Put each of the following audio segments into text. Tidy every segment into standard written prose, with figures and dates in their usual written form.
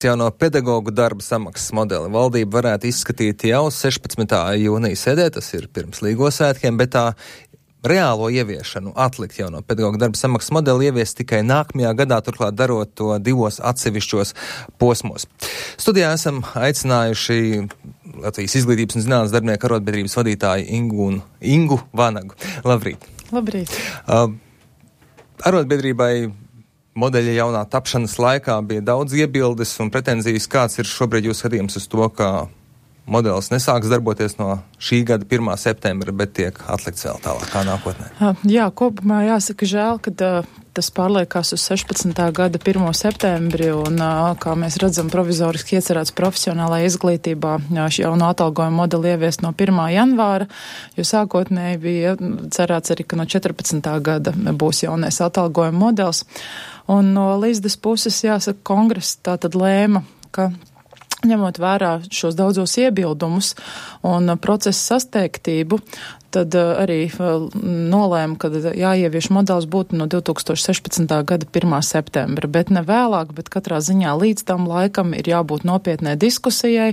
Jauno pedagogu darba samaksas modeli valdība varētu izskatīt jau 16. jūnija sēdē, tas ir pirms Līgo svētkiem, bet tā reālo ieviešanu atlikt jauno pedagogu darba samaksas modeli ievies tikai nākamajā gadā, turklāt darot to divos atsevišķos posmos. Studijā esam aicinājuši Latvijas izglītības un zinātnes darbinieku arotbiedrības vadītāju Ingu Vanagu. Labrīt! Labrīt! Arotbiedrībai modeļa jaunā tapšanas laikā bija daudz iebildes un pretenzijas. Kāds ir šobrīd jūs skatījums uz to, ka modelis nesāks darboties no šī gada 1. septembra, bet tiek atlikts vēl tālākā nākotnē? Jā, kopumā jāsaka žēl, ka tas pārliekās uz 16. gada 1. septembri un, kā mēs redzam, provizoriski iecerēts profesionālajā izglītībā jauno atalgojumu modeli ieviest no 1. janvāra, jo sākotnēji bija cerēts arī, ka no 14. gada būs jaunais atalgojuma modelis. Un no Līsdas puses, jāsaka, kongress tātad lēma, ka ņemot vērā šos daudzos iebildumus un procesa sasteigtību, tad arī nolēma, ka jāievieš modelis būtu no 2016. gada 1. septembra, bet ne vēlāk, bet katrā ziņā līdz tam laikam ir jābūt nopietnai diskusijai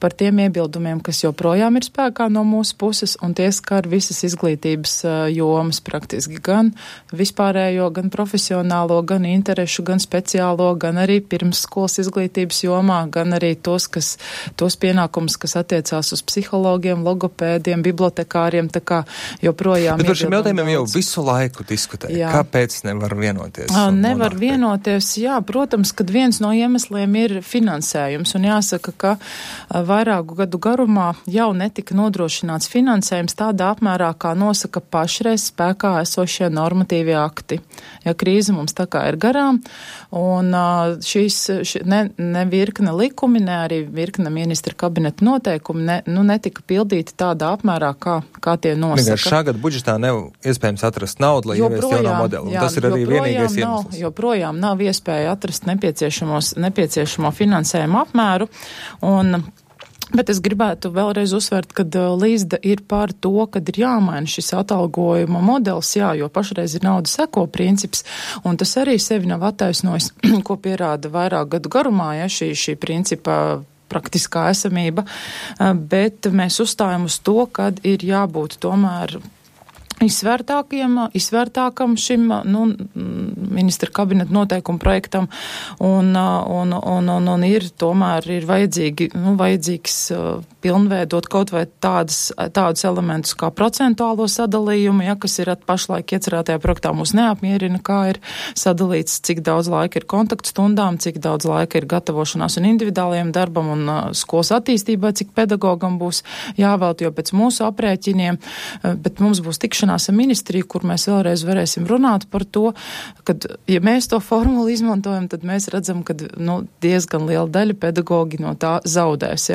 par tiem iebildumiem, kas joprojām ir spēkā no mūsu puses, un tie skar visas izglītības jomas praktiski, gan vispārējo, gan profesionālo, gan interešu, gan speciālo, gan arī pirmsskolas izglītības jomā, gan arī tos pienākumus, kas attiecās uz psihologiem, logopēdiem, bibliotekāriem, tā kā joprojām. Bet par šiem jautājumiem jau visu laiku diskutēja. Kāpēc nevar vienoties? Nevar vienoties, jā, protams, kad viens no iemesliem ir finansējums, un jāsaka, ka vairāku gadu garumā jau netika nodrošināts finansējums tādā apmērā, kā nosaka pašreiz spēkā esošie normatīvie akti. Ja krīze mums tā kā ir garām, un ne virkne likumi, ne arī virkne ministra kabineta noteikumi netika pildīti tādā apmērā, kā tie nosaka. Vienkārši šā gada budžetā nav iespējams atrast naudu, lai ieviestu jauno modeli. Un tas ir arī vienīgais iemesls. Joprojām nav iespēja atrast nepieciešamo finansējumu apmēru. Bet es gribētu vēlreiz uzsvērt, ka Līsda ir par to, ka ir jāmaina šis atalgojuma modelis, jo pašreiz ir naudas seko princips, un tas arī sevi nav attaisnojis, ko pierāda vairāk gadu garumā, šī principa praktiskā esamība, bet mēs uzstājam uz to, ka ir jābūt tomēr izvērtākam šim ministra kabineta noteikumu projektam un ir vajadzīgs pilnveidot kaut vai tādus elementus kā procentuālo sadalījumu, kas ir pašlaik iecerētajā projektā mūs neapmierina, kā ir sadalīts, cik daudz laika ir kontaktstundām, cik daudz laika ir gatavošanās un individuālajiem darbam un skolas attīstībai, cik pedagogam būs jāvēlt, jo pēc mūsu aprēķiniem, bet mums būs tikšanās ar ministriju, kur mēs vēlreiz varēsim runāt par to, ka, ja mēs to formulu izmantojam, tad mēs redzam, ka diezgan liela daļa pedagogi no tā zaudēs,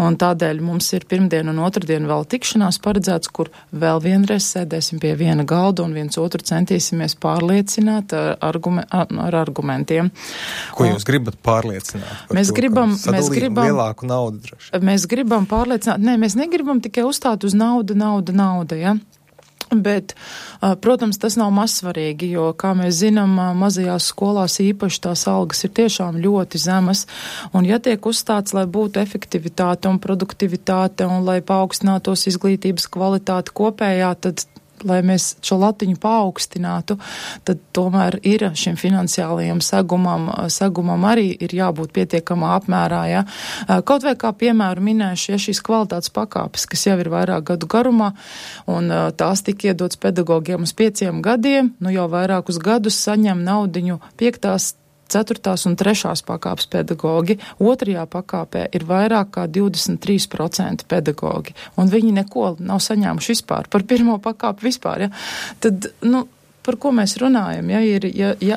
un tādēļ mums ir pirmdien un otrdien vēl tikšanās paredzēts, kur vēl vienreiz sēdēsim pie viena galda un viens otru centīsimies pārliecināt ar argumentiem. Ko jūs gribat pārliecināt? Mēs gribam lielāku naudu droši. Mēs gribam pārliecināt, mēs negribam tikai uzstāt uz naudu, Bet, protams, tas nav mazsvarīgi, jo, kā mēs zinām, mazajās skolās īpaši tās algas ir tiešām ļoti zemas, un ja tiek uzstāts, lai būtu efektivitāte un produktivitāte, un lai paaugstinātos izglītības kvalitāte kopējā, tad lai mēs šo latiņu paaugstinātu, tad tomēr ir šim finansiālajam segumam arī ir jābūt pietiekamā apmērā. Kaut vai kā piemēru minēšu, šīs kvalitātes pakāpes, kas jau ir vairāk gadu garumā, un tās tika iedots pedagogiem uz 5 gadiem, jau vairākus gadus saņem naudiņu 5., 4. un 3. pakāpes pedagogi. 2. pakāpē ir vairāk kā 23% pedagogi, un viņi neko nav saņēmuši vispār, par 1. pakāpi vispār, Tad, par ko mēs runājam, ja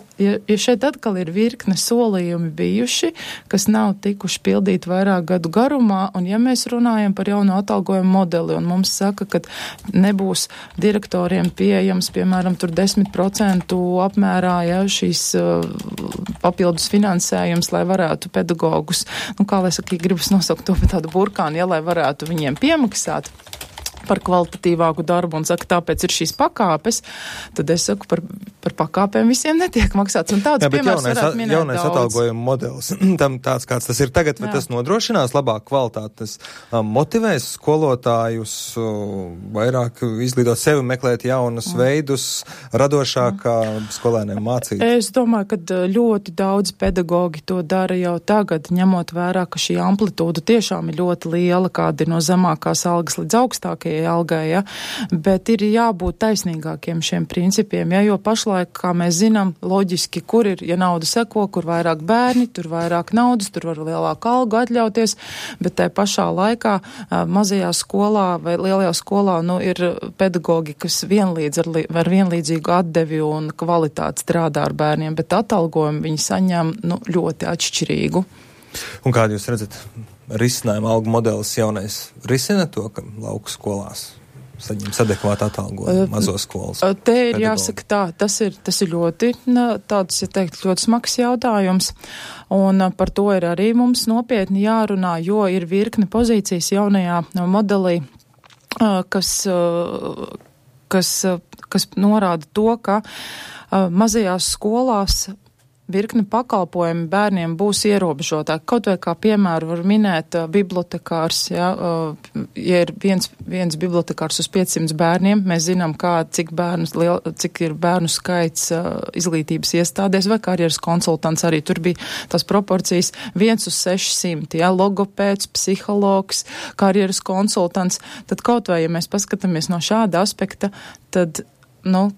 šeit atkal ir virkne solījumi bijuši, kas nav tikuši pildīti vairāk gadu garumā, un ja mēs runājam par jauno atalgojumu modeli, un mums saka, ka nebūs direktoriem pieejams, piemēram, tur 10% apmērā, šīs papildus finansējums, lai varētu pedagogus, kā lai saka, gribas nosaukt to par tādu burkānu, lai varētu viņiem piemaksāt. par kvalitatīvāku darbu un saka, tāpēc ir šīs pakāpes, tad es saku, par pakāpēm visiem netiek maksāts. Un tāds piemērs varētu minēt jaunais daudz. atalgojuma modelis, tam tāds, kāds tas ir tagad, vai tas nodrošinās labāku kvalitāti, tas motivēs skolotājus vairāk izglītot sevi, meklēt jaunus veidus, radošāk skolēniem mācīt? Es domāju, ka ļoti daudz pedagogi to dara jau tagad, ņemot vērā, ka šī amplitūda tiešām ir ļoti liela, kāda ir no zemākās algas līdz augstākajai algai, ja? Bet ir jābūt taisnīgākiem šiem principiem, ja? Jo pašlaik, kā mēs zinām, loģiski, kur ir, ja nauda seko, kur vairāk bērni, tur vairāk naudas, tur var lielāku algu atļauties, bet tai pašā laikā mazajā skolā vai lielajā skolā, ir pedagogi, kas ar vienlīdzīgu atdevi un kvalitāti strādā ar bērniem, bet atalgojumu viņi saņem, ļoti atšķirīgu. Un kādu jūs redzat? Risinājumu algu modelis jaunais risina to, ka lauku skolās saņems adekvātu atalgojumu mazo skolas. Te ir jāsaka tā, tas ir ļoti tāds, ļoti smags jautājums, un par to ir arī mums nopietni jārunā, jo ir virkne pozīcijas jaunajā modelī, kas norāda to, ka mazajās skolās virkni pakalpojumi bērniem būs ierobežotāki. Kaut vai kā piemēru var minēt bibliotekārs, ja ir viens bibliotekārs uz 500 bērniem, mēs zinām, cik ir bērnu skaits izglītības iestādēs, vai karjeras konsultants arī tur bija tās proporcijas 1 uz 600, ja, logopēds, psihologs, karjeras konsultants, tad kaut vai, ja mēs paskatāmies no šāda aspekta, tad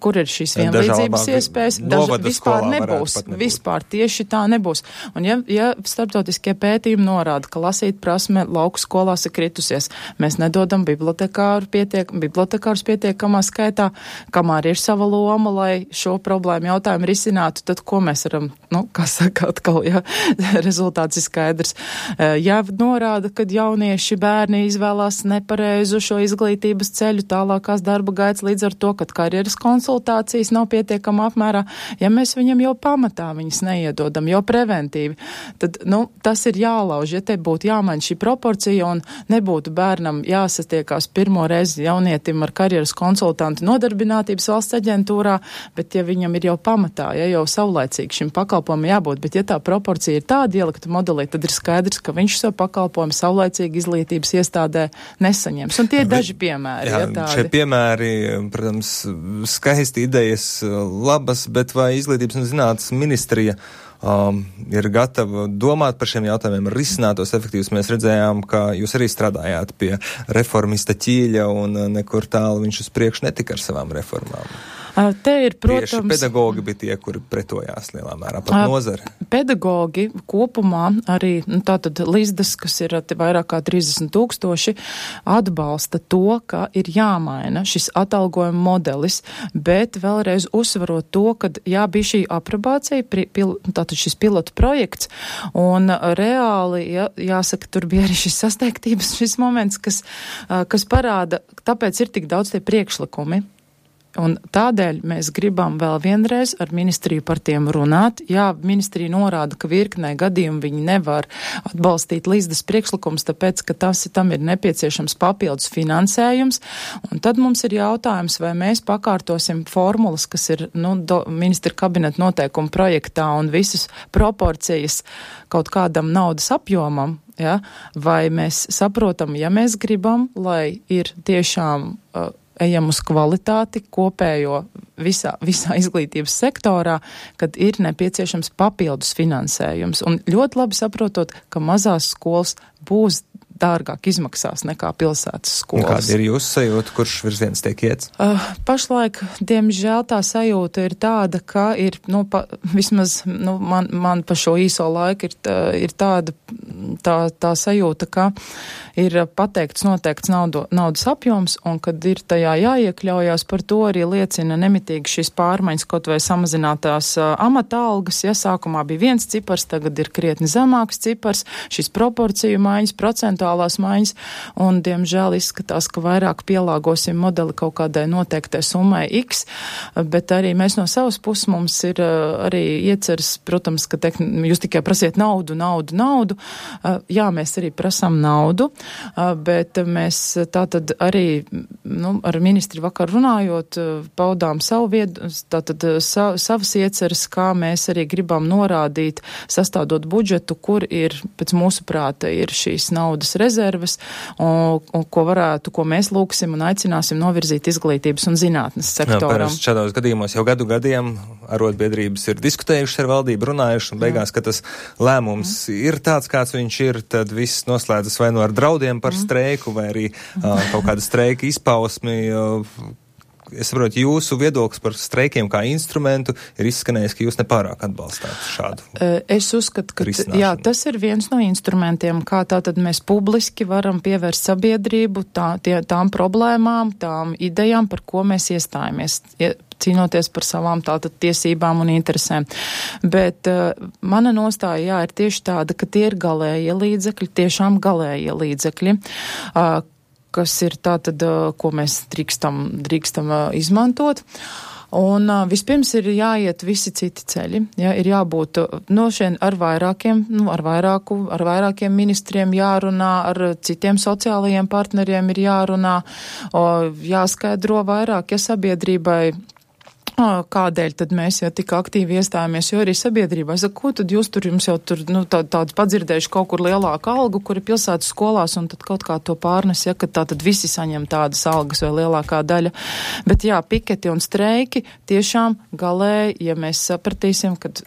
kur ir šīs vienlīdzības iespējas? Vispār nebūs. Vispār tieši tā nebūs. Un ja starptautiskie pētījumi norāda, ka lasīt prasme lauku skolās ir kritusies, mēs nedodam bibliotekārus pietiekamā skaitā, kamēr ir sava loma, lai šo problēmu jautājumu risinātu, tad ko mēs varam, kā saka atkal, ja rezultāts ir skaidrs. Ja norāda, ka jaunieši bērni izvēlās nepareizu šo izglītības ceļu, tālākās darba gaitas līdz ar to, kad karjeras konsultācijas nav pietiekama apmērā, ja mēs viņam jau pamatā viņas neiedodam, jau preventīvi, tad, tas ir jālauž, ja te būtu jāmaina šī proporcija un nebūtu bērnam jāsatiekās pirmo reizi jaunietim ar karjeras konsultantu nodarbinātības valsts aģentūrā, bet ja viņam ir jau pamatā, ja jau saulaicīgi šim pakalpojumam jābūt, bet ja tā proporcija ir tāda ielikta modelī, tad ir skaidrs, ka viņš šo pakalpojumu saulaicīgi izglītības iestādē nesaņems. Un tie ir daži piemēri. Jā, šie piemēri, protams, skaisti idejas labas, bet vai Izglītības un zinātnes ministrija ir gatava domāt par šiem jautājumiem, risinātos efektīvus? Mēs redzējām, ka jūs arī strādājāt pie reformista ķīļa un nekur tālu viņš uz priekšu netika ar savām reformām. Te ir, protams, tieši pedagogi bija tie, kuri pretojās lielā mērā, pat nozare. Pedagogi kopumā arī, tātad Lizdas, kas ir vairāk kā 30,000, atbalsta to, ka ir jāmaina šis atalgojuma modelis, bet vēlreiz uzsvarot to, ka bija šī aprobācija, tātad šis pilotu projekts, un reāli, jāsaka, tur bija arī šis sasteigtības, šis moments, kas parāda, tāpēc ir tik daudz tie priekšlikumi. Un tādēļ mēs gribam vēl vienreiz ar ministriju par tiem runāt. Jā, ministrija norāda, ka virknē gadījumu viņi nevar atbalstīt Lizdas priekšlikums, tāpēc, ka tam ir nepieciešams papildus finansējums. Un tad mums ir jautājums, vai mēs pakārtosim formulas, kas ir ministra kabineta noteikuma projektā un visas proporcijas kaut kādam naudas apjomam, ja? Vai mēs saprotam, ja mēs gribam, lai ir tiešām ejam uz kvalitāti kopējo visā izglītības sektorā, kad ir nepieciešams papildus finansējums. Un ļoti labi saprotot, ka mazās skolas būs dārgāk izmaksās nekā pilsētas skolas. Kāda ir jūsu sajūta, kurš virziens tiek iets? Pašlaik, diemžēl, tā sajūta ir tāda, ka ir, vismaz man pa šo īso laiku ir tāda tā sajūta, ka ir pateikts noteikts naudas apjoms, un kad ir tajā jāiekļaujās, par to arī liecina nemitīgi šīs pārmaiņas, kaut vai samazinātās amata algas, ja sākumā bija viens cipars, tagad ir krietni zemāks cipars, šīs proporciju maiņas, procentuālās maiņas, un, diemžēl, izskatās, ka vairāk pielāgosim modeli kaut kādai noteiktai summai X, bet arī mēs no savas puses mums ir arī ieceras, protams, ka jūs tikai prasiet naudu, Jā, mēs arī prasām naudu, bet mēs tātad arī, ar ministri vakar runājot, paudām savas ieceres, kā mēs arī gribam norādīt, sastādot budžetu, kur ir, pēc mūsu prāta, ir šīs naudas rezerves, un ko mēs lūksim un aicināsim novirzīt izglītības un zinātnes sektoram. Šādos gadījumos jau gadiem arotbiedrības ir diskutējušas ar valdību, runājuši, un beigās, ka tas lēmums ir tāds, kāds viņš ir, tad viss noslēdzas vai no ar draudiem par streiku, vai arī kaut kāda streika izpausmi. Es saprotu, jūsu viedoklis par streikiem kā instrumentu ir izskanējis, ka jūs nepārāk atbalstāt šādu. Es uzskatu, ka tas ir viens no instrumentiem, kā tātad mēs publiski varam pievērst sabiedrību tām problēmām, tām idejām, par ko mēs iestājamies, cīnoties par savām tātad tiesībām un interesēm. Bet mana nostāja, ir tieši tāda, ka tie ir galējie līdzekļi, tiešām galējie līdzekļi, kas ir tātad, ko mēs drīkstam izmantot. Un vispirms ir jāiet visi citi ceļi, ir jābūt šeit ar vairākiem ministriem jārunā, ar citiem sociālajiem partneriem ir jārunā, jāskaidro vairāk, sabiedrībai, kādēļ tad mēs jau tik aktīvi iestājāmies, jo arī sabiedrībā saka, ko tad jūs jums jau tādu padzirdējuši kaut kur lielāku algu, kur ir pilsētas skolās, un tad kaut kā to pārnes, ka tā tad visi saņem tādas algas vai lielākā daļa. Bet piketi un streiki tiešām galēji, ja mēs sapratīsim, kad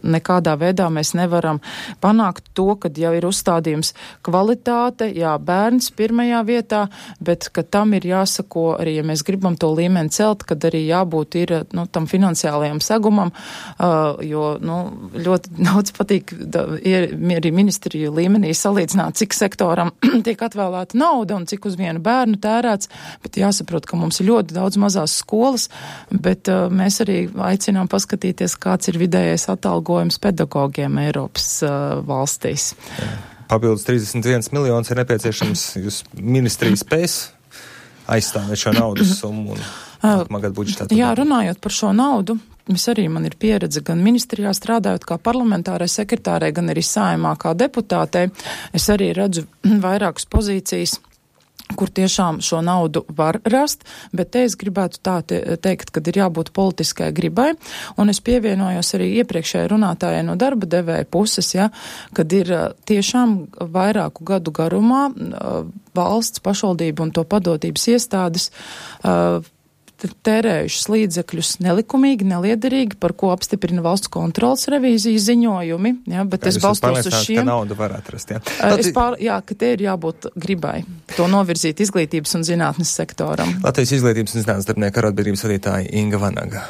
nekādā veidā mēs nevaram panākt to, kad jau ir uzstādījums kvalitāte, bērns pirmajā vietā, bet ka tam ir jāsako arī, ja mēs gribam to līmeni celt, kad arī jābūt ir tam finansiālajam segumam, jo ļoti daudz patīk arī ministriju līmenī salīdzināt, cik sektoram tiek atvēlēta nauda un cik uz vienu bērnu tērēts, bet jāsaprot, ka mums ir ļoti daudz mazās skolas, bet mēs arī aicinām paskatīties, kāds ir vidējais atalgojums pedagogiem Eiropas valstīs. Papildus 31 miljonus ir nepieciešams, jūs ministrija spēs aizstāvēt šo naudas summu un nākamā gada budžetā. Jā, runājot par šo naudu, man ir pieredze gan ministrijā strādājot kā parlamentārai sekretārai, gan arī Saeimā kā deputātei. Es arī redzu vairākas pozīcijas, kur tiešām šo naudu var rast, bet te es gribētu teikt, kad ir jābūt politiskai gribai, un es pievienojos arī iepriekšējai runātājai no darba devēja puses, kad ir tiešām vairāku gadu garumā valsts, pašvaldību un to padotības iestādes tērējušas līdzekļus nelikumīgi, neliederīgi, par ko apstiprina valsts kontrolas revīzijas ziņojumi, bet es balstos uz šiem. Ka naudu var atrast, ka te ir jābūt gribai to novirzīt izglītības un zinātnes sektoram. Latvijas izglītības un zinātnes darbinieku arotbiedrības vadītāja Inga Vanaga.